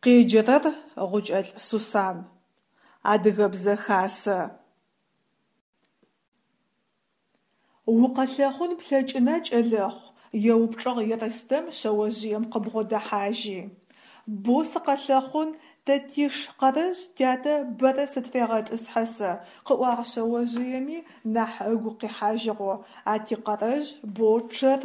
Къеджэрэр Гъукӏэлӏ Сусан. Адыгэбзэ хасэ. Укъэлъэхъун плъэкӏына, кӏэлэхъу? – еупчӏыгъ Ерстэм шъэожъыем къыбгъодэхьажьи. Боу сыкъэлъэхъун, тэ тиш Къэрэжъ тятэ бэрэ сытырегъэтӏысхьэ сэ, – къыӏуагъ шъэожъыеми нахь ыгу къихьажьыгъэу, а ти Къэрэжъ боу чъэр.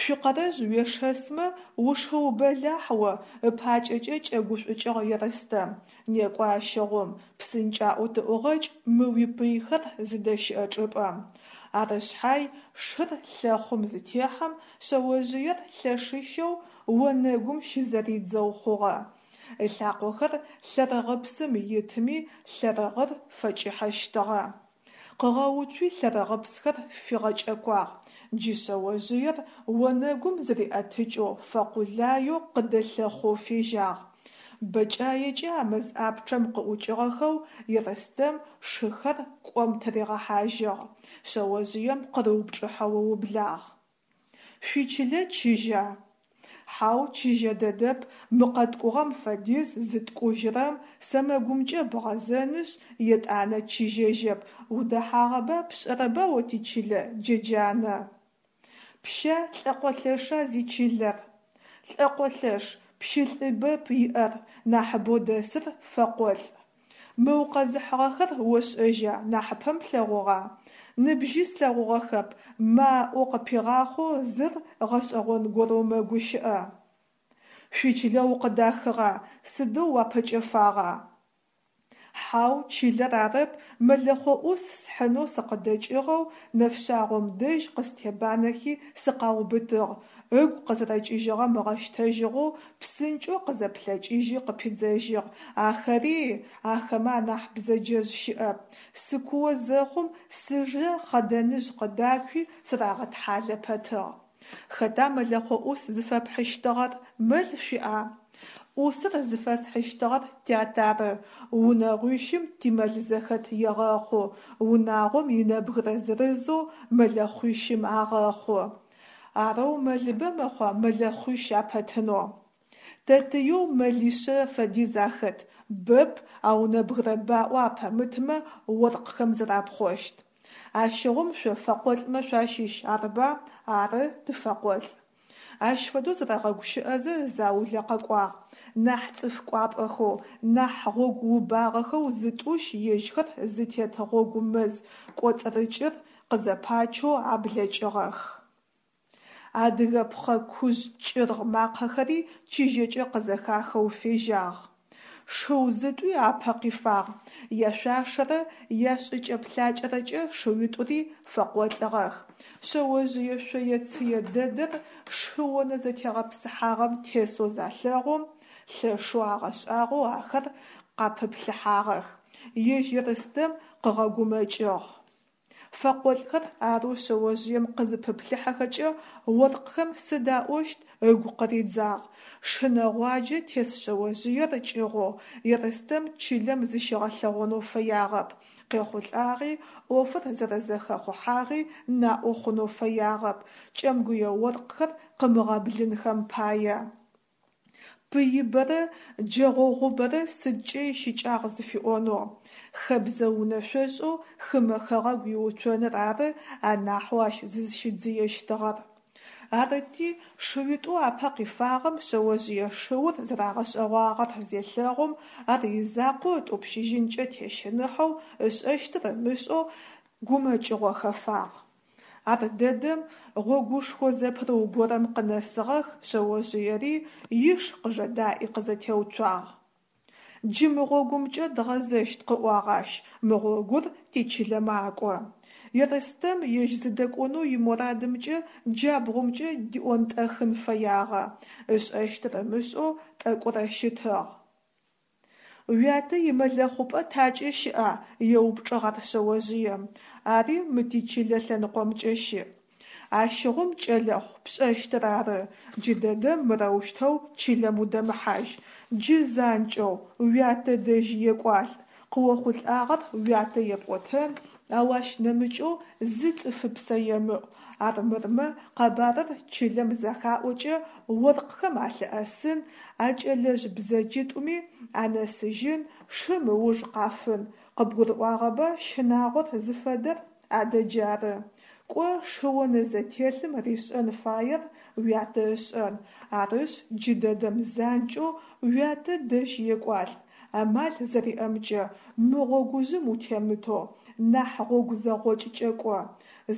Шъуи Къэрэжъ уешэсмэ, ушыу бэлахь о, ыпакӏэкӏэ кӏэгушӏукӏыгъ Ерстэм. Некӏо ащыгъум, псынкӏаӏоу тыӏугъэкӏ мы уипыйхэр зыдэщыӏэ чӏыпӏэм. Ары шъхьай, шыр лъэхъум зытехьэм, шъэожъыер лъэшыщэу онэгум щызэридзэу хъугъэ. Ылъакъохэр лъэрыгъыпсым итыми лъэрыгъыр фэкӏыхьэщтыгъэ. Къыгъэуцуи лъэрыгъыпсхэр фигъэкӏэкуагъ. Джы шъэожъыер онэгум зыриӏэтыкӏэу фэкъулаеу къыдэлъэхъоу фежьагъ. Бэкӏаекӏэ а мэз ӏапчъэм къыӏукӏыгъэхэу Ерстэм шыхэр кӏом тыригъэхьажьыгъ. Шъэожъыем къырыупчӏыхьэу ыублагъ. Шъуичылэ чыжьа? Хьау, чыжьэ дэдэп, мы къэткӏугъэм фэдиз зыткӏужьырэм, сэмэгумкӏэ бгъэзэнышъ, етӏанэ чыжьэжьэп, удэхьагъэба пшӏэрэба о тичылэ, Джэджанэ? Пща, лӏэкъолъэша зичылэр? Лӏэкъолъэш, пщылӏыбэп иӏэр, нахьыбэу дэсыр фэкъолӏ. Мы укъэзыхьыгъэхэр ошӏэжьа, нахьыпэм плъэгъугъа? Ныбжьи слъэгъугъэхэп, ма ыӏоу къыпигъахъоу зыр гъэшӏэгъон горэу мэгущыӏэ. Шъуичылэ укъыдахыгъа, сыдэу уапэкӏэфагъа? Хьау, чылэр арэп, мэлэхъо ӏус схьынэу сыкъыдэкӏыгъэу нэфшъагъом дэжь къыстебанэхи сыкъаубытыгъ, ыгу къызэрэкӏыжьыгъэм ыгъэщтэжьыгъэу псынкӏэу къызэплъэкӏыжьи къыпидзэжьыгъ, Ахэри, ахэмэ анахь бзэджэжъ щыӏэп, сыкуо зэхъум сыжэ хъэдэныжъ къыдакуи сырагъэтхьалэ пэтыгъ. Хэта мэлэхъо ӏус зыфэпхьыщтыгъэр, мэл шъуиӏа? Ӏусыр зыфэсхьыщтыгъэр тят ары, унэгъуищым тимэл зэхэт егъэхъу, унагъом инэбгырэ зырызэу мэлэхъуищым агъэхъу. Арэу мэлыбэ мэхъуа мэлэхъуищ апэтынэу? Тэтыеу мэлишъэ фэдиз ахэт, бэп, ау нэбгырэ баӏо апэмытмэ оркъхэм зэрапхъощт. Ащыгъум шъо фэкъолӏмэ шъуащыщ, арыба? Ары, тыфэкъолӏ. Ащ фэдэу зэрэгъэгущыӏэзэ заулэ къэкӏуагъ. Нахь цӏыф кӏуапӏэхэу, нахь гъогу убагъэхэу зытӏущ ежьхэр зытет гъогу мэз кӏоцӏырыкӏыр къызэпачэу аблэкӏыгъэх. Адыгэ пхъэ кужъ кӏыргъ макъэхэри чыжьэкӏэ къызэхахэу фежьагъ. Шыу зытӏуи апэ къифагъ. Яшъуашэрэ яшӏыкӏэ-плъакӏэрэкӏэ шыуитӏури фэкъолӏыгъэх. Шъэожъые шъое-цые дэдэр шы онэ зэтегъэпсыхьагъэм тесэу залъэгъум, лъэшэу агъэшӏагъоу ахэр къапыплъыхьагъэх. Ежь Ерстэм къыгъэгумэкӏыгъ. Фэкъолӏхэр арэу шъэожъыем къызыпыплъыхьэхэкӏэ оркъхэм сыд аӏощт ыгу къыридзагъ. Шы нэгъуаджэ тес шъэожъыер кӏыгъоу Ерстэм чылэм зыщигъэлъэгъонэу фэягъэп, къехъулӏагъи, ӏофыр зэрэзэхэхъухьагъи наӏо хъунэу фэягъэп, кӏэмгуе оркъхэр къымыгъэблынхэм пае. Пыибэрэ джэгъогъубэрэ сыдкӏэ ищыкӏагъ зыфиӏонэу. Хэбзэ унэшъошӏэу хымэ хэгъэгу иуцоныр ары анахьэу ащ зызщидзыещтыгъэр. Арыти, шыуитӏоу апэ къифагъэм шъэожъые шыур зэрагъэшӏэгъуагъэр зелъэгъум, ар изакъоу ытӏупщыжьынкӏэ тещыныхьэу, ышӏэщтыр ымышӏэу гумэкӏыгъо хэфагъ. Ардэдэм гъогушхо зэпырыу горэм къынэсыгъэх шъэожъыери, иш къыжэдаӏи къызэтеуцуагъ. Джы мы гъогумкӏэ дгъэзэщт, къыӏуагъ ащ, мы гъогур тичылэ макӏо. Ерстэм ежь зыдэкӏонэу имурадымкӏэ джабгъумкӏэ диӏонтӏэхын фэягъэ, ышӏэщтыр ымышӏэу тӏэкӏурэ щытыгъ. Уятэ имэлэхъупӏэ такӏэ щыӏа? еупчӏыгъ ар шъэожъыем. Ари мы тичылэ лъэныкъомкӏэ щыӏ. Ащыгъум, кӏэлэхъу, пшӏэщтыр ары, джыдэдэм мырэущтэу чылэм удэмыхьажь, джы занкӏэу уятэ дэжь екӏуалӏ, къыохъулӏагъэр уятэ епӏотэн, ау ащ нэмыкӏэу зы цӏыфыпсэ емыӏу. Армырмэ къэбарыр чылэм зэхаӏокӏэ оркъхэм алъыӏэсын, а кӏэлэжъ бзэджитӏуми анэсыжьын, шым ыуж къафын, къыбгурыӏуагъэба щынагъор зыфэдэр, адэ джары. Кӏо, шыонэзэтелъым ришӏэн фаер уятэ ышӏэн, арышъ, джыдэдэм занкӏэу уятэ дэжь екӏуалӏ, амал зэриӏэмкӏэ мы гъогужъым утемытэу, нахь гъогу зэгъокӏкӏэ кӏо.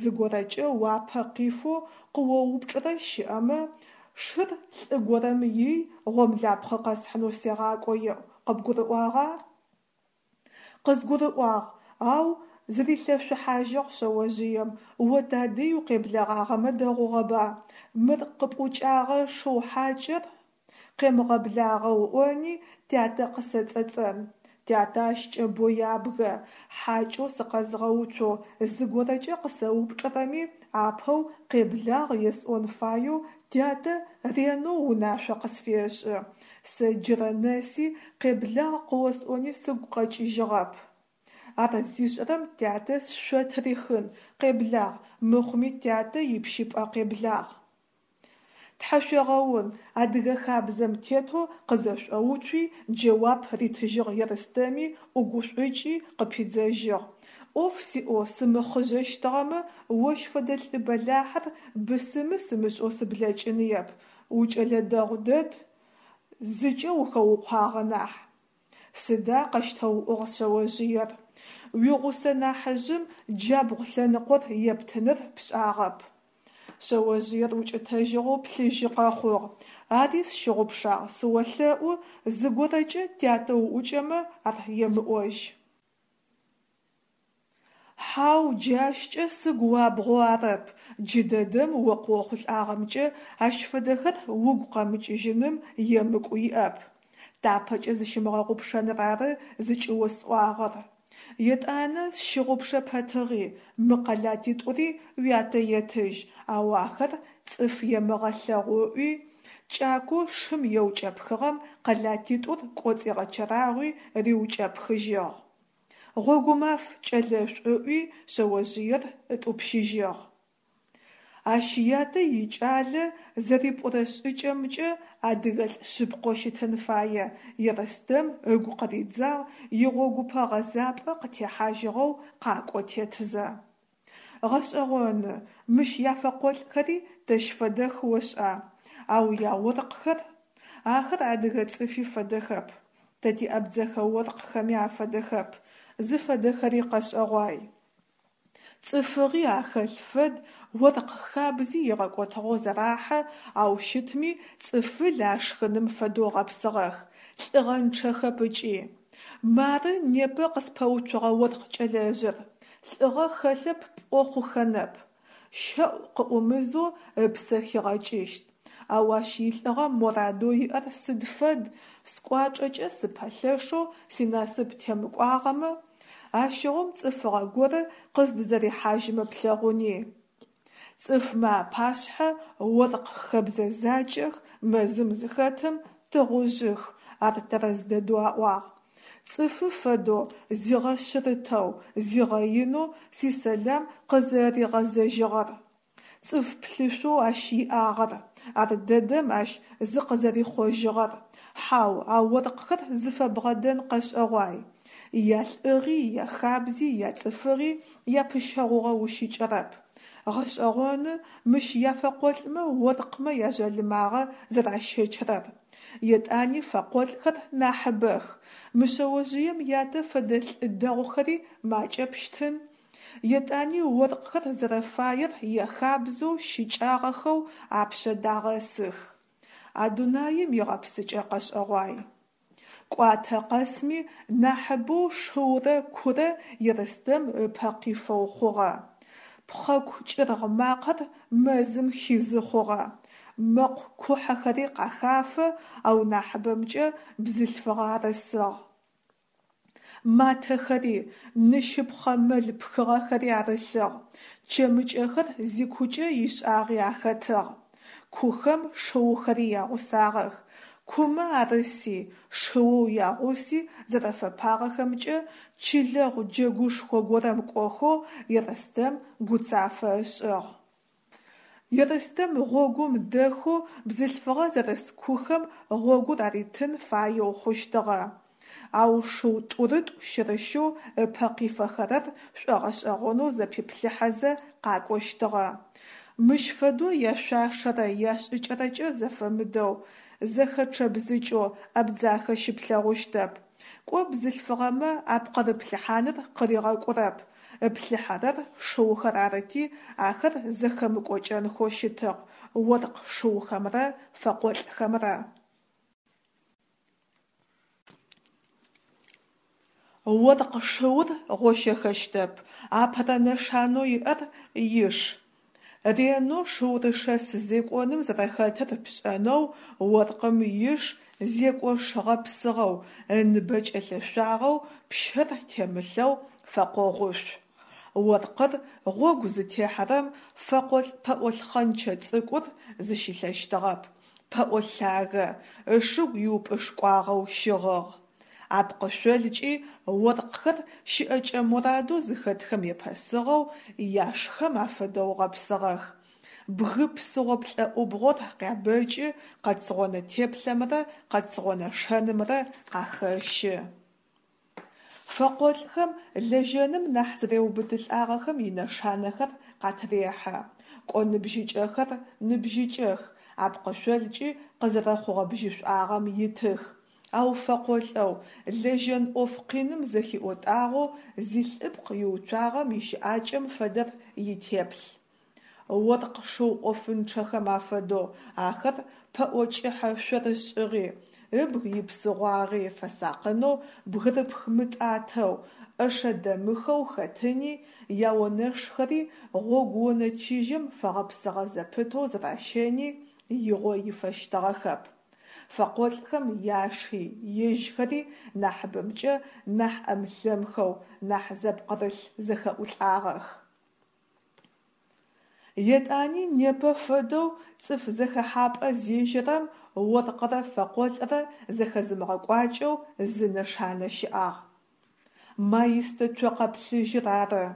Зыгорэкӏэ уапэ къифэу къыоупчӏырэ щыӏэмэ, шыр лӏы горэм ий, гъомлапхъэ къэсхьынэу сегъакӏо еӏу, къыбгурыӏуагъа? Къызгурыӏуагъ, ау, зырилъэшъухьажьыгъ шъэожъыем, о тадэжь укъеблэгъагъэмэ дэгъугъэба, мыр къыпӏукӏагъэ шыу хьакӏэр къемыгъэблагъэ ыӏони тятэ къысэцӏэцӏэн. Тятэ ащкӏэ бо ябгэ, хьакӏэу сыкъэзгъэуцоу зыгорэкӏэ къысэупчӏырэми апэу къеблагъ есӏон фаеу тятэ ренэу унашъо къысфешӏы, сэ джырэ нэси къеблагъ къыосӏони сыгу къэкӏыжьыгъэп. Ар зишӏэрэм тятэ сшъо тырихын, къеблагъ, мыхъуми тятэ ипщыпӏэ къеблагъ. Тхьэшъуегъэун, адыгэ хабзэм тетэу къызэшӏоуцуи, джэуап ритыжьыгъ Ерстэми, ӏугушӏукӏи, къыпидзэжьыгъ. Ӏоф сиӏэу сымыхъыжъэщтыгъэмэ, ощ фэдэ лӏы бэлахьыр бысымы сымышӏэу сыблэкӏыныеп, укӏэлэ дэгъу дэд, зыкӏэ ухэукъуагъэ нахь. Сыда, къэщтэуӏугъ шъэожъыер, уигъусэ нахьыжъым джабгъу лъэныкъор ептыныр пшӏагъэп. Шъэожъыер укӏытэжьыгъэу плъыжьы къэхъугъ. Ари сщыгъупшагъ, сыолъэӏу, зыгорэкӏэ тятэ уӏукӏэмэ ар емыӏожь. Хьау, джы ащкӏэ сыгу уабгъэу арэп, джыдэдэм о къыохъулӏагъэмкӏэ ащ фэдэхэр угу къэмыкӏыжьыным емыкӏу иӏэп. Тапэкӏэ зыщымыгъэгъупшэныр ары зыкӏыосӏуагъэр. Етӏанэ, сщыгъупшэ пэтыгъи, мы къэлатитӏури уятэ етыжь, ау ахэр цӏыф емыгъэлъэгъу ыӏуи, кӏакоу шым еукӏэпхыгъэм къэлатитӏур кӏоцӏигъэчэрагъуи риукӏэпхыжьыгъ. Гъогумаф, кӏэлэшӏу, ыӏуи, шъэожъыер ытӏупщыжьыгъ. Ащ ятэ икӏалэ зэрипӏурэ шӏыкӏэмкӏэ адыгэлӏ шъыпкъэу щытын фае, Ерстэм ыгу къыридзагъ игъогупэ гъэзапӏэ къытехьажьыгъэу къакӏо тетызэ. Гъэшӏэгъоны, мыщ яфэкъолӏхэри тэщ фэдэх ошӏа, ау яоркъхэр? Ахэр адыгэ цӏыфи фэдэхэп, тэ тиабдзэхэ оркъхэми афэдэхэп, зыфэдэхэри къэшӏэгъуай. Цӏыфыгъи ахэлъ фэд, оркъ хабзи игъэкӏотыгъэу зэрахьэ, ау щытми цӏыфыл ашхыным фэдэу гъэпсыгъэх, лӏыгъэнчъэхэп ыкӏи. Мары непэ къыспэуцугъэ оркъ кӏэлэжъыр, лӏыгъэ хэлъэп пӏо хъухэнэп, щэӏу къыӏумызэу ыпсэ хигъэкӏыщт. Ау ащ илӏыгъэ морадэу иӏэр сыд фэд, скӏуачӏэкӏэ сыпэлъэшэу синасып темыкӏуагъэмэ, ащыгъум цӏыфыгъэ горэ къыздызэрихьажьымэ плъэгъуни. Цӏыфмэ апашъхьэ оркъ хэбзэ закӏэх, мэзым зыхэтым тыгъужъых, ар тэрэз дэдэу аӏуагъ. Цӏыфы фэдэу, зигъэшъырытэу, зигъэинэу сисэлам къызэригъэзэжьыгъэр. Цӏыф плъышъоу ащ иӏагъэр, ар дэдэм ащ зыкъызэрихъожьыгъэр, хьау, а оркъхэр зыфэбгъэдэн къэшӏэгъуай. Ялӏыгъи, яхабзи, яцӏыфыгъи, япыщэгъугъэ ущыкӏэрэп. Гъэшӏэгъоны мыщ яфэкъолӏмэ оркъмэ яжъалымагъэ зэращэчырэр. Етӏани фэкъолӏхэр нахьыбэх. Мы шъэожъыем ятэ фэдэ лӏы дэгъухэри макӏэпщтын. Етӏани оркъхэр зэрэфаер яхабзэу щыкӏагъэхэу апшъэ дагъэсых. А дунаим игъэпсыкӏэ къэшӏэгъуай. Кӏуатэ къэсми нахьыбэу шыурэ курэ Ерстэм ыпэ къифэу хъугъэ. Пхъэку кӏыргъ макъэр мэзым хизы хъугъэ. Мэкъу кухьэхэри къахафэ, ау нахьыбэмкӏэ бзылъфыгъэ арысыгъ. Матэхэри, ныщыпхъэ мэл пхыгъэхэри арылъыгъ, чэмыкӏэхэр зикукӏэ ишӏагъи ахэтыгъ. Кухэм шыухэри ягъусагъэх. Кумэ арыси, шыоу ягъуси зэрэфэпагъэхэмкӏэ чылэгъу джэгушхо горэм кӏохэу Ерстэм гуцафэ ышӏыгъ. Ерстэм гъогум дэхэу бзылъфыгъэ зэрыс кухэм гъогур аритын фаеу хъущтыгъэ. Ау шыу тӏурытӏу-щырыщэу ыпэ къифэхэрэр шӏогъэшӏэгъонэу зэпиплъыхьэзэ къакӏощтыгъэ. Мыщ фэдэу яшъуашэрэ яшӏыкӏэрэкӏэ зэфэмыдэу, зэхэчъэбзыкӏэу Абдзахэ щыплъэгъущтэп. Кӏо бзылъфыгъэмэ апкъырыплъыхьаныр къыригъэкӏурэп, ыплъыхьэрэр шыухэр арыти, ахэр зэхэмыкӏокӏэнхэу щытыгъ оркъ шыухэмрэ фэкъолӏхэмрэ. Оркъ шыур гъощэхэщтэп, апэрэ нэшанэу иӏэр иш. Ренэу шыурышэс зекӏоным зэрэхэтыр пшӏэнэу оркъым иш зекӏош гъэпсыгъэу, ыныбэ кӏэлъэшъуагъэу, пщэр темылъэу фэкъогъушъу. Оркъыр гъогу зытехьэрэм фэкъолӏ пэӏо лъхъэнчэ цӏыкӏур зыщилъэщтыгъэп, пэӏо лъагэ, ышыгу иупӏышкӏуагъэу щыгъыгъ. Апкъышъолкӏи оркъхэр щыӏэкӏэ морадэу зыхэтхэм епэсыгъэу яшхэм афэдэу гъэпсыгъэх. Бгы псыгъо плӏэӏубгъор къябэкӏы, къэцгъонэ теплъэмрэ къэцгъонэ шэнымрэ къахэщы. Фэкъолӏхэм лэжьэным нахь зэреубытылӏагъэхэм инэшанэхэр къатырехьэ. Кӏо ныбжьыкӏэхэр ныбжьыкӏэх, апкъышъолкӏи къызэрэхъугъэ бжьышӏуагъэм итых. Ау фэкъолӏэу, лэжьэн ӏоф къиным зэхиӏотӏагъэу зилӏыпкъ иуцуагъэм ищыӏакӏэм фэдэр итеплъ. Оркъ шыу ӏофынчъэхэм афэдэу ахэр пэӏо кӏыхьэ шъорышӏыгъи, ыбг ипсыгъуагъи фэсакъынэу бгырыпх мытӏатэу, ӏэшэ дэмыхэу хэтыни, яонэшхэри гъогуонэ чыжьэм фэгъэпсыгъэ зэпытэу зэращэни игъо ифэщтыгъэхэп. Фэкъолӏхэм яши, ежьхэри нахьыбэмкӏэ нахь ӏэм-лъэмхэу, нахь зэпкъырылъ зэхэӏулӏагъэх. Етӏани непэ фэдэу цӏыф зэхэхьапӏэ зежьэрэм оркърэ фэкъолӏрэ зэхэзымыгъэкӏуакӏэу зы нэшанэ щыӏагъ. Маистэ цокъэ плъыжьыр ары.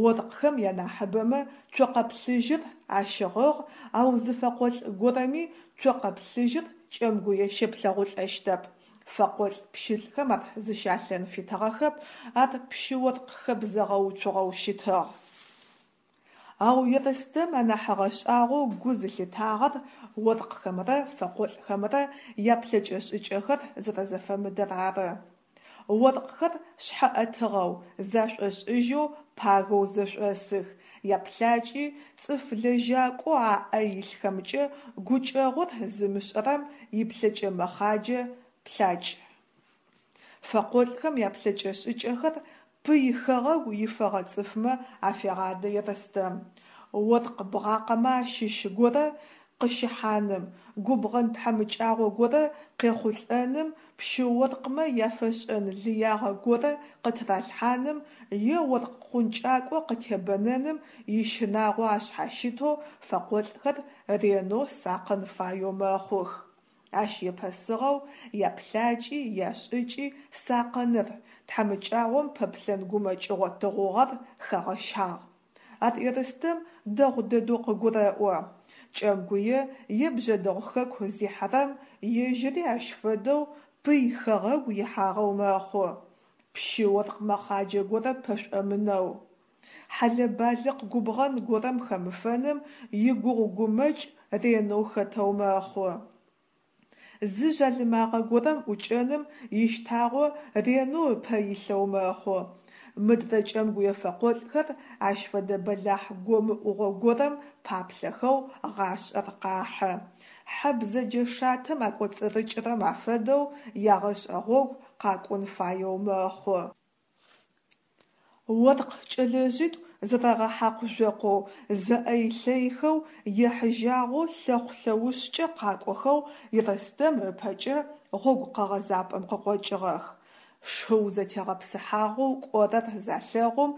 Оркъхэм янахьыбэмэ цокъэ плъыжьыр ащыгъыгъ, ау зы фэкъолӏ горэми цокъэ плъыжьыр Кӏэмгуе щеплъэгъулӏэщтэп. Фэкъолӏ пщылӏхэм ар зыщалъэн фитыгъэхэп, ар пщы-оркъ хэбзэ гъэуцугъэу щытыгъ. Ау Ерстэм анахь ыгъэшӏагъоу гу зылъитагъэр оркъхэмрэ фэкъолӏхэмрэ яплъэкӏэ-шӏыкӏэхэр зэрэзэфэмыдэр ары. Оркъхэр шъхьэ ӏэтыгъэу, зашӏошӏыжьэу пагэу зэшӏосых, яплъакӏи цӏыф лэжьакӏоу аӏэ илъхэмкӏэ гукӏэгъур зымышӏэрэм иплъэкӏэ мэхъаджэ плъакӏ. Фэкъолӏхэм яплъэкӏэ-шӏыкӏэхэр пый хэгъэгу ифэгъэ цӏыфмэ афегъадэ Ерстэм. Оркъ бгъакъэмэ ащыщ горэ къыщыхьаным, губгъэн тхьамыкӏагъо горэ къехъулӏэным, пщы-оркъмэ яфэшӏэн лыягъэ горэ къытыралъхьаным е оркъ хъункӏакӏо къытебэнэным ищынагъо ашъхьащытэу фэкъолӏхэр ренэу сакъын фаеу мэхъух. Ащ епэсыгъэу яплъакӏи, яшӏыкӏи сакъыныр, тхьамыкӏагъом пэплъэн гумэкӏыгъо тыгъугъэр хэгъэщагъ. Ар Ерстэм дэгъу дэдэу къыгурэӏо. Кӏэмгуе е Бжъэдыгъу хэку зихьэрэм ежьыри ащ фэдэу пый хэгъэгу ихьагъэу мэхъу. Пщы-оркъ мэхъаджэ горэ пэшӏомынэу. Хьэлэ-балыкъ губгъэн горэм хэмыфэным игугъу-гумэкӏ ренэу хэтэу мэхъу. Зы жъалымагъэ горэм ӏукӏэным ищтагъо ренэу ыпэ илъэу мэхъу. Мыдрэ кӏэмгуе фэкъолӏхэр ащ фэдэ бэлахь гомыӏугъо горэм паплъэхэу гъашӏэр къахьы. Хьэ бзэджэ шатэм акӏоцӏырыкӏырэм афэдэу ягъэшӏэ гъогу къакӏун фаеу мэхъу. Оркъ кӏэлэжъитӏу зэрэгъэхьакъу-жъокъоу, зэӏэй-лъэйхэу, ехьыжьагъэу лъэхъу-лъэушъкӏэ къакӏохэу Ерстэм ыпэкӏэ гъогу къэгъэзапӏэм къыкъокӏыгъэх. Шыу зэтегъэпсыхьагъэу кӏорэр залъэгъум,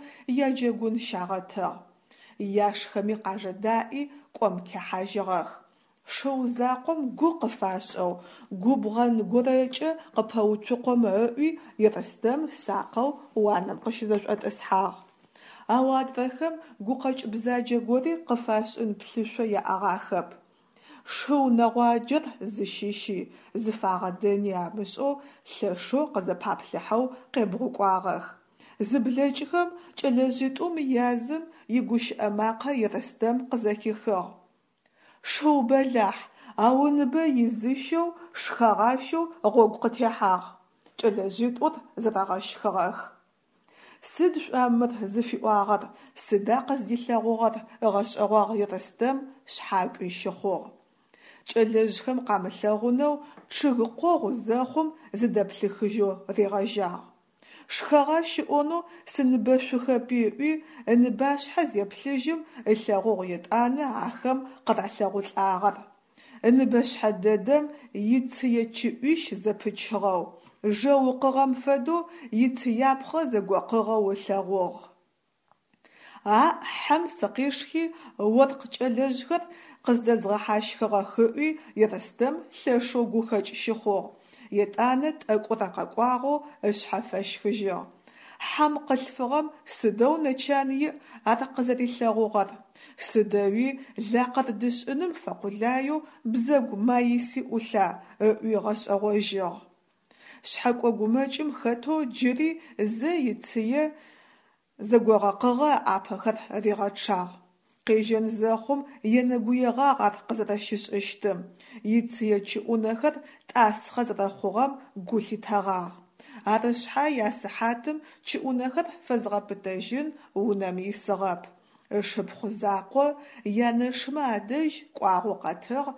яджэгун щагъэтыгъ. Яшхэми къажэдаӏи, кӏом техьажьыгъэх. Шыу закъом гу къыфашӏэу, губгъэн горэкӏэ къыпэуцукъомэ ыӏуи, Ерстэм сакъэу уанэм къыщызэшӏотӏысхьагъ. Ау адрэхэм гукъэкӏ бзаджэ гори къыфашӏын плъышъо яӏэгъахэп. Шыу нэгъуаджэр зыщыщи, зыфагъэдэни амышӏэу лъэшэу къызэпаплъыхьэу къебгъукӏуагъэх. Зыблэкӏхэм кӏэлэжъитӏум язым игущыӏэ макъэ Ерстэм къызэхихыгъ. Шыу бэлахь, ау ыныбэ изыщэу, шхэгъащэу гъогу къытехьагъ. Кӏэлэжъитӏур зэрэгъэщхыгъэх. Сыд шъуа мыр зыфиӏуагъэр, сыда къыздилъэгъугъэр ыгъэшӏэгъуагъ Ерстэм шъхьакӏуи щыхъугъ. Кӏэлэжъхэм къамылъэгъунэу чъыг къогъу зэхъум зыдэплъыхыжьэу ригъэжьагъ. Шхэгъащ ыӏонэу сыныбэшъухэпи ыӏуи, ыныбашъхьэ зеплъыжьым ылъэгъугъ етӏанэ ахэм къыралъэгъулӏагъэр. Ыныбэшъхьэ дэдэм ицые чыӏуищ зэпычыгъэу, жэ укъыгъэм фэдэу ицыяпхъэ зэгокъыгъэу ылъэгъугъ. Аӏ, хьэм сыкъишхи, оркъ кӏэлэжъхэр къыздэзгъэхьащхыгъэх ыӏуи Ерстэм лъэшэу гухэкӏ щыхъугъ, етӏанэ тӏэкӏурэ къэкӏуагъэу ышъхьэ фэщхыжьыгъ. Хьэм къылъфыгъэм сыдэу нэчан иӏ ар къызэрилъэгъугъэр, сыдэуи лакъырдышӏыным фэкъулаеу бзэгу маиси ӏулъа ыӏуи ыгъэшӏэгъожьыгъ. Шъхьэкӏо гумэкӏым хэтэу джыри зэ ицые зэгогъэкъыгъэ ыӏапэхэр ригъэчъагъ. Къежьэн зэхъум енэгуегъагъ ар къызэрэщышӏыщтым, ицые чыӏунэхэр тӏасхъэ зэрэхъугъэм гу лъитэгъагъ. Ары шъхьай а сыхьатым чыӏунэхэр фэзгъэпытэжьын унэм исыгъэп. Ышыпхъу закъо янэшымэ адэжь кӏуагъэу къэтыгъ,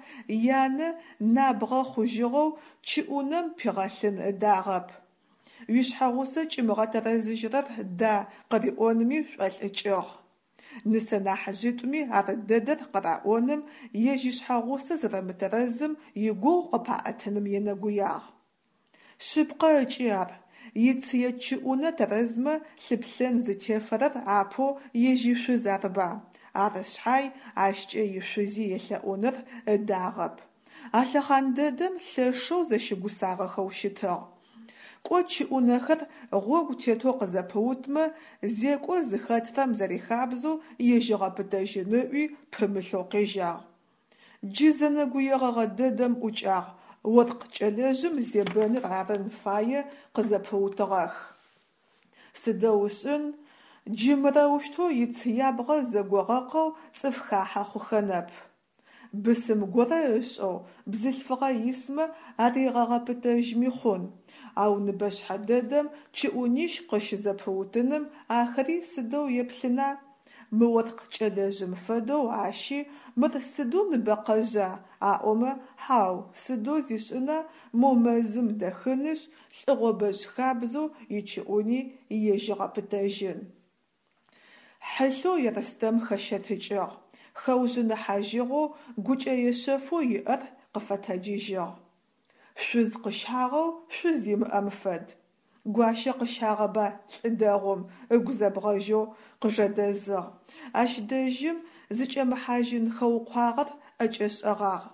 янэ набгъэ хъужьыгъэу чыӏунэм пигъэлъын ыдагъэп. Уишъхьэгъусэ кӏимыгъэтэрэзыжьрэр да къыриӏонми шӏолӏыкӏыгъ. Нысэ нахьыжъитӏуми ар дэдэр къыраӏоным, ежь ишъхьэгъусэ зэрэмытэрэзым игугъу къыпаӏэтыным енэгуягъ. Шъыпкъэ ыкӏи ар, ицые чыӏунэ тэрэзмэ лъыплъэн зытефэрэр апэу ежь ишъуз арыба, ары шъхьай ащкӏэ ишъузи елъэӏуныр ыдагъэп. А лъэхъан дэдэм лъэшэу зэщыгусагъэхэу щытыгъ. Кӏо чыӏунэхэр гъогу тетэу къызэпыутмэ, зекӏо зыхэтрэм зэрихабзэу ежь ыгъэпытэжьын ыӏуи пымылъэу къежьагъ. Джы зэнэгуегъэгъэ дэдэм ӏукӏагъ, оркъ кӏэлэжъым зебэныр арын фае къызэпыутыгъэх. Сыдэу ышӏын, джы мырэущтэу ицыябгъэ зэгогъэкъэу цӏыф хахьэ хъухэнэп. Бысым горэ ышӏэу бзылъфыгъэ исмэ аригъэгъэпытэжьми хъун, ау ныбэшъхьэ дэдэм чыӏунищ къыщызэпыутыным ахэри сыдэу еплъына? Мы оркъ кӏэлэжъым фэдэу ащи мыр сыдэу ныбэкъэжъа аӏомэ, хьау, сыдэу зишӏына, мо мэзым дэхынышъ, лӏыгъобэжъ хабзэу ичыӏуни ежь ыгъэпытэжьын. Хьылъэу Ерстэм хэщэтыкӏыгъ, хэужъыныхьажьыгъэу гукӏэе шъэфэу иӏэр къыфэтэджыжьыгъ. Шъуз къыщагъэу шъуз имыӏэм фэд. Гуащэ къыщагъэба лӏы дэгъум, ыгу зэбгъэжьэу къыжэдэзыгъ. Ащ дэжьым зыкӏэмыхьажьын хэукъуагъэр ӏэкӏэшӏэгъагъ.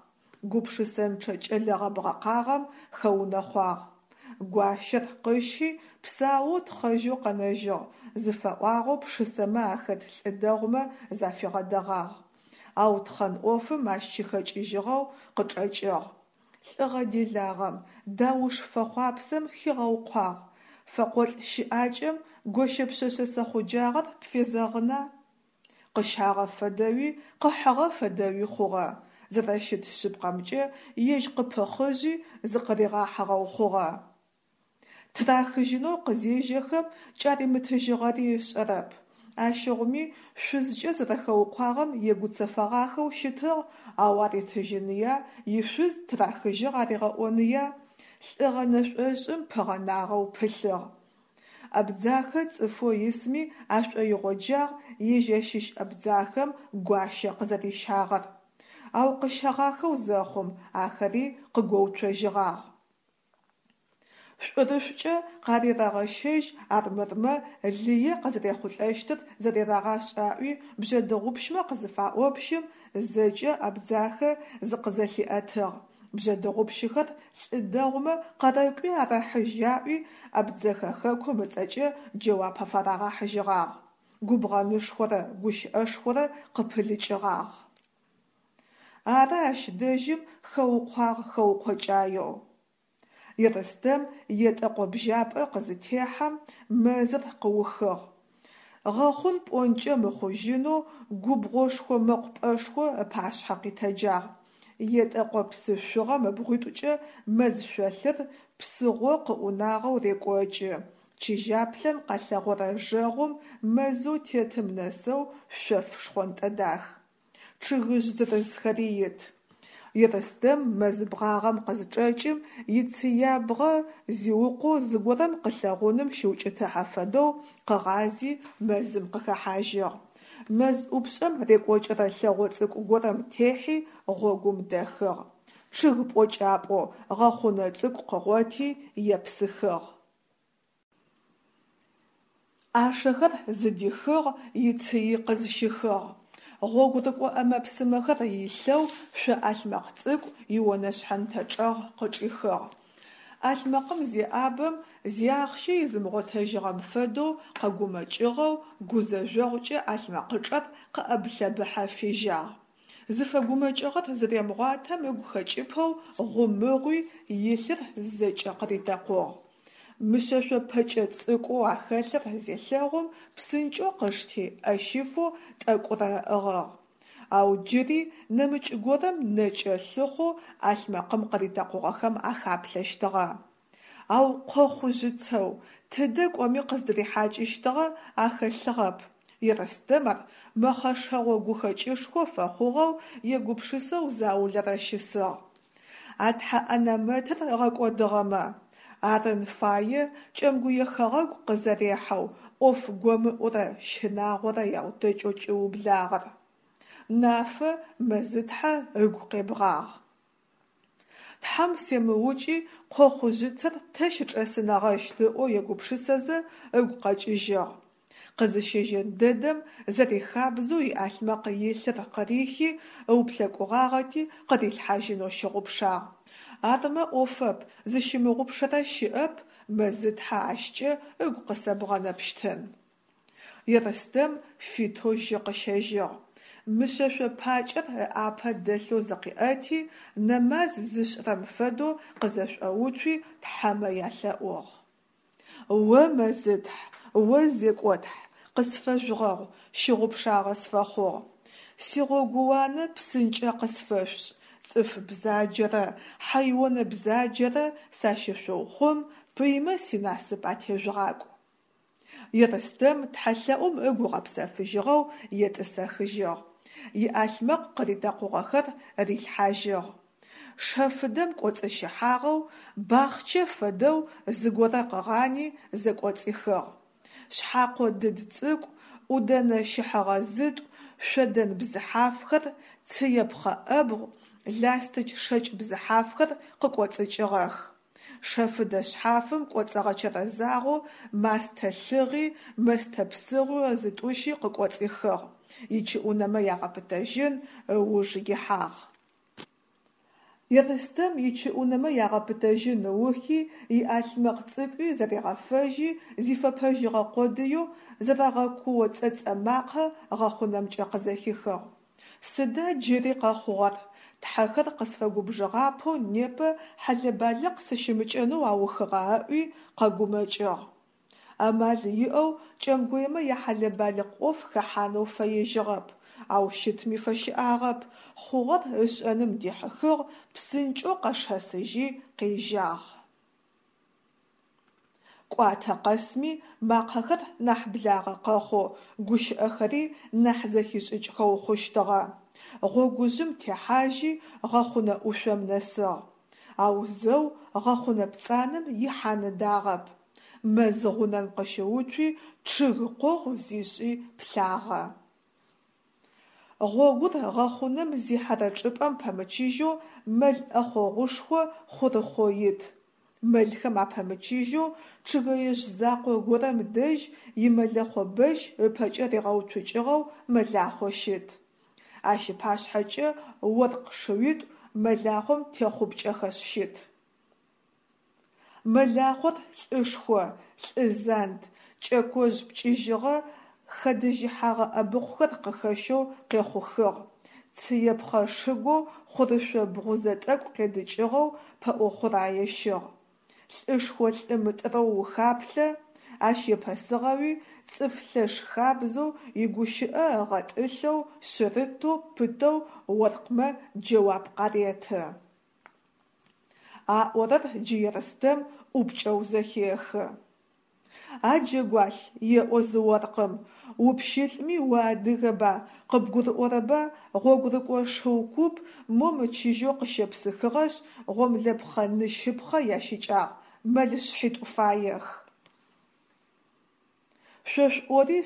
Гупшысэнчъэ кӏэлэ гъэбгъэкъагъэм хэунэхъуагъ. Гуащэр къыщи, псаоу тхъэжьэу къэнэжьыгъ, зыфэӏуагъэу пшысэмэ ахэт лӏы дэгъумэ зафигъэдэгъагъ. Ау тхъэн ӏофым ащ щыхэкӏыжьыгъэу къычӏэкӏыгъ. Лӏыгъэ делагъэм, дауш фэхъуапсэм хигъэукъуагъ. Фэкъолӏ щыӏакӏэм гощэ пшъэшъэ сэхъуджагъэр пфезэгъына? Къыщагъэ фэдэуи, къыхьыгъэ фэдэуи хъугъэ. Зэрэщыт шъыпкъэмкӏэ, ежь къыпыхъыжьи зыкъыригъахьыгъэу хъугъэ. Тырахыжьынэу къызежьэхэм кӏаримытыжьыгъэри ышӏэрэп. Ащыгъуми шъузкӏэ зэрэхэукъуагъэм егуцэфэгъахэу щытыгъ, ау аритыжьыныя, ишъуз тырахыжьыгъ аригъэӏоныя? Лӏыгъэ нэшӏошӏым пыгъэнагъэу пылъыгъ. Абдзахэ цӏыфэу исми ашӏоигъоджагъ ежь ащыщ абдзахэм гуащэ къызэрищагъэр. Ау къыщэгъахэу зэхъум, ахэри къыгоуцожьыгъагъ. Шӏурышӏукӏэ къарерэгъэщэжь армырмэ лые къызэрехъулӏэщтыр зэрерагъашӏ аӏуи бжъэдыгъупщмэ къызыфаӏопщым, зэкӏэ Абдзахэ зыкъызэлъиӏэтыгъ, бжъэдыгъупщыхэр лӏы дэгъумэ къэрэкӏуи арэхьыжь аӏуи Абдзэхэ хэкум ыцӏэкӏэ джэуап афарагъэхьыжьыгъагъ. Губгъэнышхорэ гущыӏэшхорэ къыпылыкӏыгъагъ. Ары ащ дэжьым хэукъуагъ хэукъокӏаеу. Ерстэм етӏэкъо бжьапӏэ къызытехьэм, мэзыр къыухыгъ. Гъэхъун пӏонкӏэ мыхъужьынэу губгъошхо мэкъупӏэшхо ыпашъхьэ къитэджагъ. Етӏэкъо псы шъугъэм ыбгъуитӏукӏэ мэз шъолъыр псыгъо къыӏунагъэу рекӏокӏы, чыжьаплъэм къэлъэгъорэ жэгъум мэзэу тетым нэсэу шъоф шхъонтӏэ дах. Чъыгыжъ зырызхэри ит. Ерстэм мэз бгъагъэм къызчӏэкӏым, ицыябгъэ зиукъоу зыгорэм къылъэгъуным щыукӏытыхьэ фэдэу къыгъази мэзым къыхэхьажьыгъ. Мэз ӏупшӏэм рекӏокӏырэ лъэгъо цӏыкӏу горэм техьи гъогум дэхыгъ. Чъыг пӏокӏапӏо гъэхъунэ цӏыкӏу къыгъоти епсыхыгъ. ӏашэхэр зыдихыгъ, ицыи къызщихыгъ. Гъогурыкӏо ӏэмэ-псымэхэр илъэу шъо ӏалъмэкъ цӏыкӏу ионэшъхьэнтэ чӏэгъ къычӏихыгъ. ӏалъмэкъым зеӏабэм, зиахъщэ изымыгъотэжьыгъэм фэдэу къэгумэкӏыгъэу, гузэжъогъукӏэ ӏалъмэкъычӏэр къыӏэб-лъэбыхьэ фежьагъ. Зыфэгумэкӏыгъэр зыремыгъуатэм ыгу хэкӏыпэу гъумыгъуи, илъыр зэкӏэ къыритэкъугъ. Мышъэшъо пэкӏэ цӏыкӏоу ахэлъыр зелъэгъум, псынкӏэу къышти ӏэ щифэу тӏэкӏурэ ыӏыгъыгъ. Ау джыри нэмыкӏ горэм нэкӏэ лъыхъоу ӏалъмэкъым къыритэкъугъэхэм ахаплъэщтыгъэ. Ау къохъужъыцэу, тыдэ кӏоми къыздырихьакӏыщтыгъэ ахэлъыгъэп. Ерстэм ар мэхъэшэгъо гухэкӏышхо фэхъугъэу егупшысэу заулэрэ щысыгъ. А тхьэ ӏэнамэтыр ыгъэкӏодыгъэмэ, арын фае Кӏэмгуе хэгъэгу къызэрехьэу ӏоф гомыӏурэ щынагъорэ яутэкӏэу кӏиублагъэр. Нафэ Мэзытхьэ ыгу къебгъагъ. Тхьэм семыукӏи къохъужъыцэр тэ щычӏэсынэгъэщт ыӏоу егупшысэзэ ыгу къэкӏыжьыгъ. Къызыщежьэн дэдэм зэрихабзэу иӏалъмэкъ илъыр къырихи ыуплъэкӏугъагъэти къырилъхьажьынэу щыгъупшагъ. Армэ ӏофэп, зыщымыгъупшэрэ щыӏэп, Мэзытхьэ ащкӏэ ыгу къысэбгъэнэпщтын. Ерстэм фитэу жьы къыщэжьыгъ. Мышъэшъо пакӏэр ыӏапэ дэлъэу зыкъиӏэти, нэмаз зышӏырэм фэдэу къызэшӏоуцуи тхьэмэ ялъэӏугъ. О Мэзытхь, о Зекӏотхь, къысфэжъугъэгъу, щыгъупшагъэ сфэхъугъ. Сигъогууанэ псынкӏэ къысфэшъушӏ, цӏыф бзаджэрэ хьэйонэ бзаджэрэ сащышъуухъум, пыймэ синасып атежъугъакӏу. Ерстэм тхьэлъэӏум ыгу ыгъэпсэфыжьыгъэу етӏысэхыжьыгъ. Иӏалъмэкъ къыритэкъугъэхэр рилъхьажьыгъ. Шэфыдэм кӏоцӏыщыхьагъэу, бахъчэ фэдэу зыгорэ къыгъани зэкӏоцӏихыгъ. Шъхьакъо дыд цӏыкӏу, ӏудэнэ щыхьэгъэ зытӏу, шъодэн бзыхьафхэр, цыепхъэ ӏэбгъу, ластыч шэкӏ бзыхьафхэр къыкӏоцӏыкӏыгъэх. Шэфыдэ шъхьафым кӏоцӏыгъэчэрэзагъэу мастэ лъыгъи, мэстэ псыгъуи зытӏущи къыкӏоцӏихыгъ, ичыӏунэмэ ягъэпытэжьын ыуж ихьагъ. Ерстэм ичыӏунэмэ ягъэпытэжьын ыухи, иӏалъмэкъ цӏыкӏуи зэригъэфэжьи, зифэпэжьыгъэ къодыеу зэрэгъэкуо цӏэцӏэ макъэ гъэхъунэмкӏэ къызэхихыгъ. Сыда джыри къэхъугъэр? Тхьэхэр къысфэгубжыгъапэу непэ хьэлэ-балыкъ сыщымыкӏэнэу аухыгъа ыӏуи къэгумэкӏыгъ. Амал иӏэу кӏэмгуемэ яхьэлэ-балыкъ ӏоф хэхьанэу фэежьыгъэп, ау щытми фэщыӏагъэп, хъугъэр ышӏэным дихьыхыгъ, псынкӏэу къэшэсыжьи къежьагъ. Кӏуатэ къэсми макъэхэр нахь благъэ къэхъоу, гущыӏэхэри нахь зэхишӏыкӏхэу хъущтыгъэ. Гъогужъым техьажьи гъэхъунэ ӏушъом нэсыгъ. Ау зэу гъэхъунэ пцӏанэм ихьан ыдагъэп. Мэз гъунэм къыщыуцуи, чъыг къогъу зишӏи плъагъэ. Гъогур гъэхъунэм зихьэрэ чӏыпӏэм пэмычыжьэу мэл ӏэхъогъушхо хъурыхъоу ит. Мэлхэм апэмычыжьэу чъыгэежъ закъо горэм дэжь имэлэхъо бэщ ыпэкӏэ ригъэуцукӏыгъэу мэлахъо щыт. Ащ ыпашъхьэкӏэ оркъ шыуитӏу мэлахъом техъупкӏэхэшъ щыт. Мэлахъор лӏышхо, лӏы занд, кӏэкожъ пкӏыжьыгъэ Хэдыжьыхьэгъэ ӏэбыхъухэр къыхэщэу къехъухыгъ, цыепхъэ шыгоу хъурышъо бгъузэ тӏэкӏу къедыкӏыгъэу пэӏо хъурае щыгъ. Лӏышхо лӏы мытӏырэу ухаплъэ, ащ епэсыгъэуи цӏыф лъэш хабзэу игущыӏэ ыгъэтӏылъэу, шъырытэу, пытэу оркъмэ джэуап къареты. Аӏорэр джы Ерстэм ӏупкӏэу зэхехы. А джэгуалъ, еӏо зы оркъым, упщылӏми уадыгэба, къыбгурыӏорэба гъогурыкӏо шыу куп мо мычыжьэу къыщепсыхыгъэшъ, гъомлэпхъэ-нысыпхъэ ящыкӏагъ, мэл шъхьитӏу фаех. Шъо шъуӏори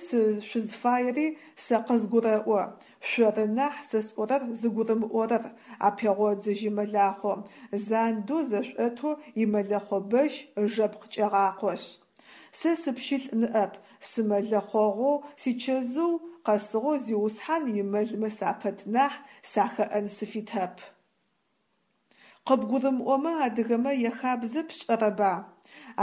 шъузфаери сэ къызгурэӏо, шъоры нахь сэ сӏорэр зыгурымыӏорэр, апегъодзыжьы мэлахъом, зандэу зэшӏотэу имэлэхъо бэщ ыжэпкъ кӏегъакъошъ. Сэ сыпщылӏ ныӏэп, сымэлэхъогъоу сичэзыу къэсыгъэу зиусхьан имэлмэ сапэт нахь, сахэӏэн сыфитэп. Къыбгурымыӏомэ адыгэмэ яхабзэ пшӏэрэба?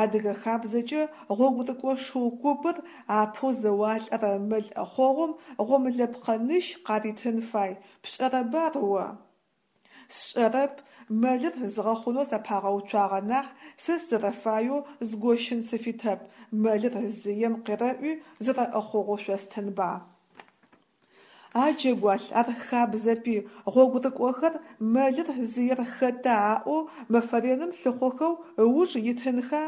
Адыгэ хабзэкӏэ гъогурыкӏо шыу купыр апэу зэуалӏэрэ мэл ӏэхъогъум гъомлэпхъэ-ныщ къаритын фай, пшӏэрэба ар о? Сшӏэрэп, мэлыр згъэхъунэу сапагъэуцуагъэ нахь, сэ сызэрэфаеу згощын сыфитэп, мэлыр зыем къерэӏуи, зэрэӏэхъогъоу шъостынба. А джэгуалъ, ар хабзэпи, гъогурыкӏохэр мэлыр зыер хэта аӏоу мэфэ реным лъыхъохэу ыуж итынха?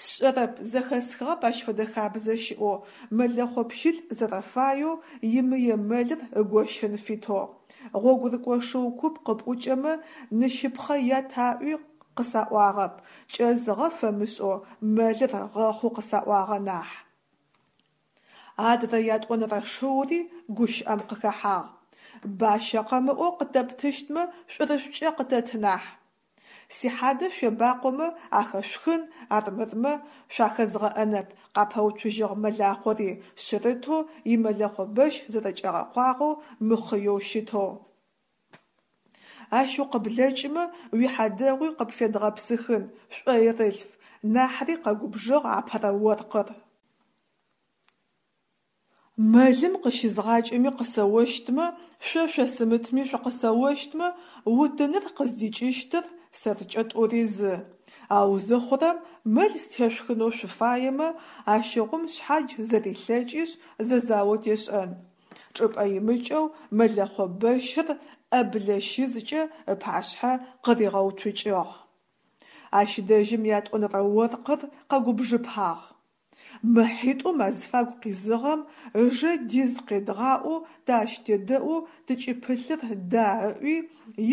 Сшӏэрэп, зэхэсхыгъэп ащ фэдэ хабзэ щыӏэу, мэлэхъо пщылӏ зэрэфаеу имые мэлыр ыгощын фитэу. Гъогурыкӏо шыу куп къыпӏукӏэмэ, ныщыпхъэ ят аӏуи къысаӏуагъэп, кӏэзыгъэ фэмышӏэу мэлыр гъэхъу къысаӏуагъэ нахь. Адрэ ятӏонэрэ шыури гущыӏэм къыхэхьагъ. Бащэ къэмыӏоу къытэптыщтмэ, шӏурышӏукӏэ къытэт нахь. Сихьадэ шъуебакъомэ ахэшъухын, армырмэ шъуахэзгъэӏэнэп, къапэуцужьыгъ мэлахъори, шъырытэу, имэлэхъо бэщ зэрэкӏэгъэкъуагъэу, мыхъыеу щытэу. Ащ укъыблэкӏымэ, уихьадэгъуи къыпфедгъэпсыхын, шӏоирылъф, нахьри къэгубжыгъ апэрэ оркъыр. Мэлым къыщызгъакӏэми къысэощтмэ, шъо шъосымытми шъукъысэощтмэ, утыныр къыздикӏыщтыр сэркӏэ тӏури зы. Ау зыхъурэм, мэл стешъухынэу шъуфаемэ, ащыгъум шъхьадж зэрилъэкӏишъ зэзао тешӏэн. Чӏыпӏэ имыкӏэу мэлэхъо бэщыр ӏэблэ щызкӏэ ыпашъхьэ къыригъэуцукӏыгъ. Ащ дэжьым ятӏонэрэ оркъыр къэгубжыпагъ. Мы хьитӏум азфагу къизыгъэм ыжэ диз къедгъаӏоу тэ ащ тедэӏоу тыкӏыпылъыр да ыӏуи,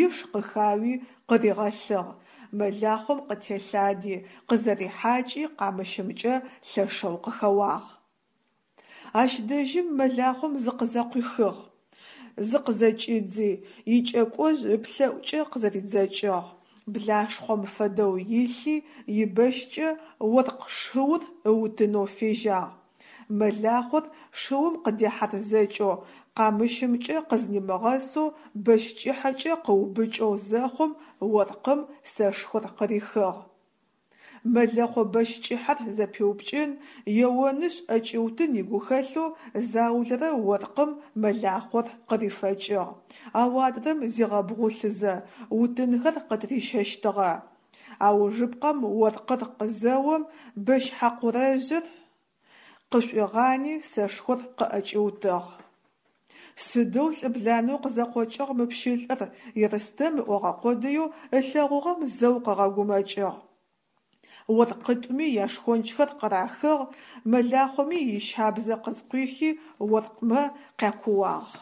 иш къыхауи къыригъэлъыгъ, мэлахъом къытелъади, къызэрихьакӏи къамыщымкӏэ лъэшэу къыхэуагъ. Ащ дэжьым мэлахъом зыкъызэкъуихыгъ, зыкъызэкӏидзи, икӏэкӏожъ ыплӏэӏукӏэ къызэридзэкӏыгъ, блашхъом фэдэу илъи, ибэщкӏэ оркъ шыур ыутынэу фежьагъ. Мэлахъор шыум къыдехьарзэкӏэу, къамыщымкӏэ къызнимыгъэсэу бэщ кӏыхьэкӏэ къыубыкӏэу зэхъум, оркъым сэшхор къырихыгъ. Мэлэхъо бэщ кӏыхьэр зэпиупкӏын, еонышъ ӏэкӏиутын игухэлъэу заулэрэ оркъым мэлахъор къырифэкӏыгъ, ау адрэм зигъэбгъулъызэ, утынхэр къытырищэщтыгъэ. Аужыпкъэм оркъыр къызэом, бэщ хьакъурэжъыр къышӏуигъани сэшхор къыӏэкӏиутыгъ. Сыдэу лӏыбланэу къызэкъокӏыгъ мы пщылӏыр, Ерстэм ыӏогъэ къодыеу ылъэгъугъэм зэу къыгъэгумэкӏыгъ. Оркъитӏуми яшхончхэр къырахыгъ, мэлахъоми ищабзэ къызкъуихи оркъмэ къякууагъ.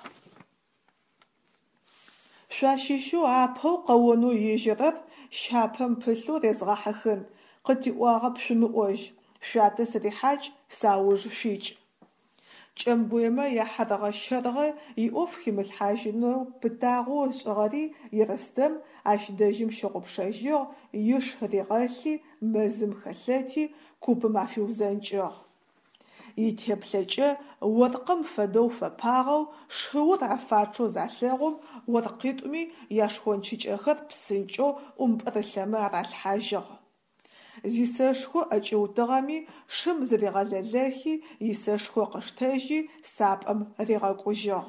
Шъуащыщэу апэу къэонэу ежьэрэр щапэм пылъэу резгъэхьыхын, къытиӏуагъэп шъумыӏожь, шъуятэ сырихьакӏ, сауж шъуикӏ. Кӏэмгуемэ яхьэргъэ-щэргъэ иӏоф химылъхьажьынэу пытагъэу ышӏыгъэри Ерстэм ащ дэжьым щыгъупшэжьыгъ, иш ригъэлъи, мэзым хэлъэти, купым афиузэнкӏыгъ. Итеплъэкӏэ оркъым фэдэу фэпагъэу, шыур афачъэу залъэгъум, оркъитӏуми яшхончыкӏэхэр псынкӏэу ӏумпӏырылъэмэ аралъхьажьыгъ. Зисэшхо ӏэкӏиутыгъэми, шым зыригъэлэлэхи, исэшхо къыштэжьи, сапӏэм ригъэкӏужьыгъ.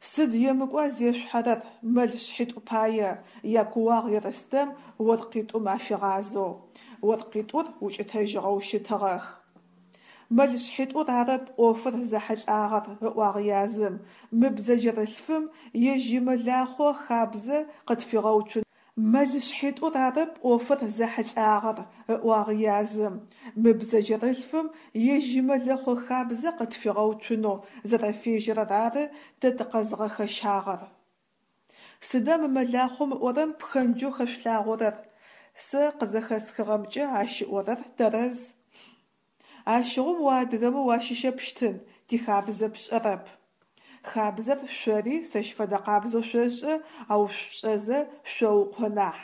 Сыд емыкӏуа зешъухьэрэр мэл шъхьитӏу пае! – якууагъ Ерстэм оркъитӏум афигъазэу. Оркъитӏур укӏытэжьыгъэу щытыгъэх. Мэл шъхьитӏур арэп ӏофыр зэхьылӏагъэр, – ыӏуагъ язым, – мы бзэджэрылъфым ежь имэлахъо хабзэ къытфигъэуцун. Мэл шъхьитӏур арэп ӏофыр зэхьылӏагъэр, – ыӏуагъ язым, – мы бзэджэрылъфым ежь имэлэхъо хабзэ къытфигъэуцунэу зэрэфежьэрэр ары тэ тыкъэзгъэхэщагъэр. Сыда мы мэлахъом ыӏорэм пхэнджэу хэшъулъагъорэр? Сэ къызэхэсхыгъэмкӏэ ащ ыӏорэр тэрэз. Ащыгъум о адыгэмэ уащыщэпщтын, тихабзэ пшӏэрэп. Хабзэр шъори сэщ фэдэ къабзэу шъошӏэ, ау шъушӏэзэ шъоукъо нахь.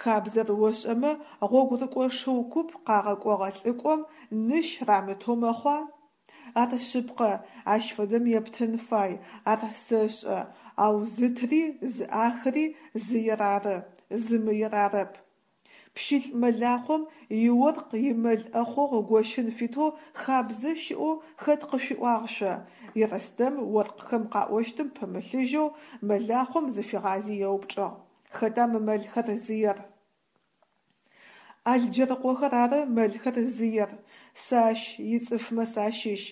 Хабзэр ошӏэмэ, гъогурыкӏо шыу куп къагъэкӏогъэ лӏыкӏом ныщ рамытэу мэхъуа? Ар шъыпкъэ, ащ фэдэм ептын фай, ар сэшӏэ, ау зытыри зыӏахыри зыер ары, зымыер арэп. Пщылӏ мэлахъом иоркъ имэл ӏэхъогъу ыгощын фитэу хабзэ щыӏэу хэт къышъуиӏуагъ шъо? – Ерстэм оркъхэм къаӏощтым пымылъыжьэу мэлахъом зыфигъази еупчӏыгъ: Хэта мы мэлхэр зыер? Алджэрыкъохэр ары мэлхэр зыер, сэ ащ ицӏыфмэ сащыщ,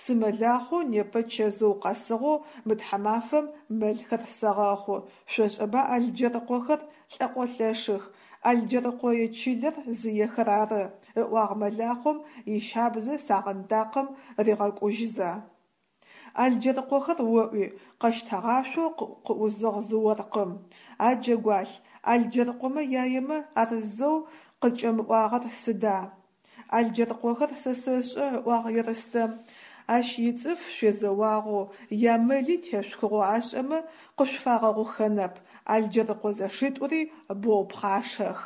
сымэлахъоу непэ чэзыу къэсыгъэу мы тхьамафэм мэлхэр сэгъэхъу, шъошӏэба Алджэрыкъохэр лӏэкъолъэшых, Алджэрыкъое чылэр зыехэр ары, – ыӏуагъ мэлахъом ищабзэ сагъындакъым ригъэкӏужьызэ. Алджэрыкъохэр оӏуи, къэщтэгъашъоу къыӏузыгъ зы оркъым. А джэгуалъ, Алджэрыкъомэ яемэ ар зэу къызкӏэмыӏуагъэр сыда? Алджэрыкъохэр сэ сэшӏэ, – ыӏуагъ Ерстэм. Ащ ицӏыф шъуезэуагъэу, ямэли тешъухыгъэу ашӏэмэ къышъуфагъэгъухэнэп, Алджэрыкъо зэшитӏури боу пхъашэх.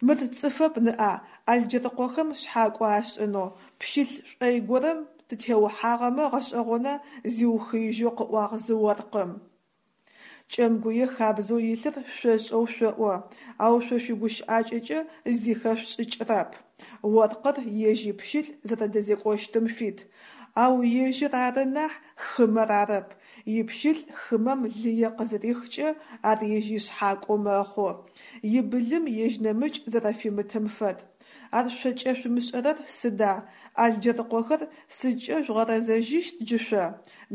Мыр цӏыфэп ныӏа, Алджэрыкъохэм шъхьакӏо ашӏынэу, пщылӏ шӏой горэм тытеухьагъэмэ гъэшӏэгъона, зиухыижьэу къыӏуагъ зы оркъым. Кӏэмгуе хабзэу илъыр шъошӏэу шъоӏо, ау шъо шъуигущыӏакӏэкӏэ зи хэшъушӏыкӏырэп. Оркъыр ежь ипщылӏ зэрэдэзекӏощтым фит, ау ежьыр ары нахь, хымэр арэп. Ипщылӏ хымэм лые къызырихкӏэ ар ежь ишъхьакӏоу мэхъу, ибылым ежь нэмыкӏ зэрэфимытым фэд. Ар шъо кӏэшъумышӏэрэр сыда, Алджэрыкъохэр сыдкӏэ жъугъэрэзэжьыщт джы шъо?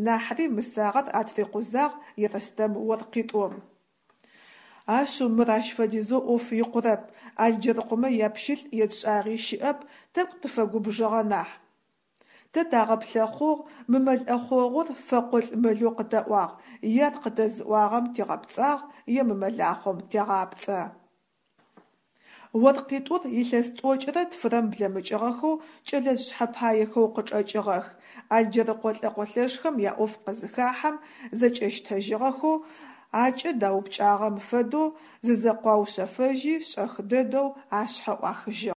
Нахьри мысагъэр атырикъузагъ Ерстэм оркъитӏум. Ашъыу, мыр ащ фэдизэу ӏоф икъурэп, Алджэрыкъомэ япщылӏ етшӏагъи щыӏэп, тӏэкӏу тыфэгубжыгъэ нахь. Тэ тагъэплъэхъугъ, мы мэл ӏэхъогъур фэкъолӏ мэлэу къытаӏуагъ, е ар къытэзыӏуагъэм тигъэпцӏагъ, е мы мэлахъом тегъапцӏэ. Оркъитӏур илъэс тӏокӏырэ тфырэм блэмыкӏыгъэхэу кӏэлэжъ шъхьэпаехэу къычӏэкӏыгъэх. Алджэрыкъо лӏэкъолъэшхэм яӏоф къызыхахьэм, зэкӏэщтэжьыгъэхэу, акӏэ даупкӏагъэм фэдэу зызэкъуаушъэфэжьи, шӏэх дэдэу ашъхьэ ӏуахыжьыгъ.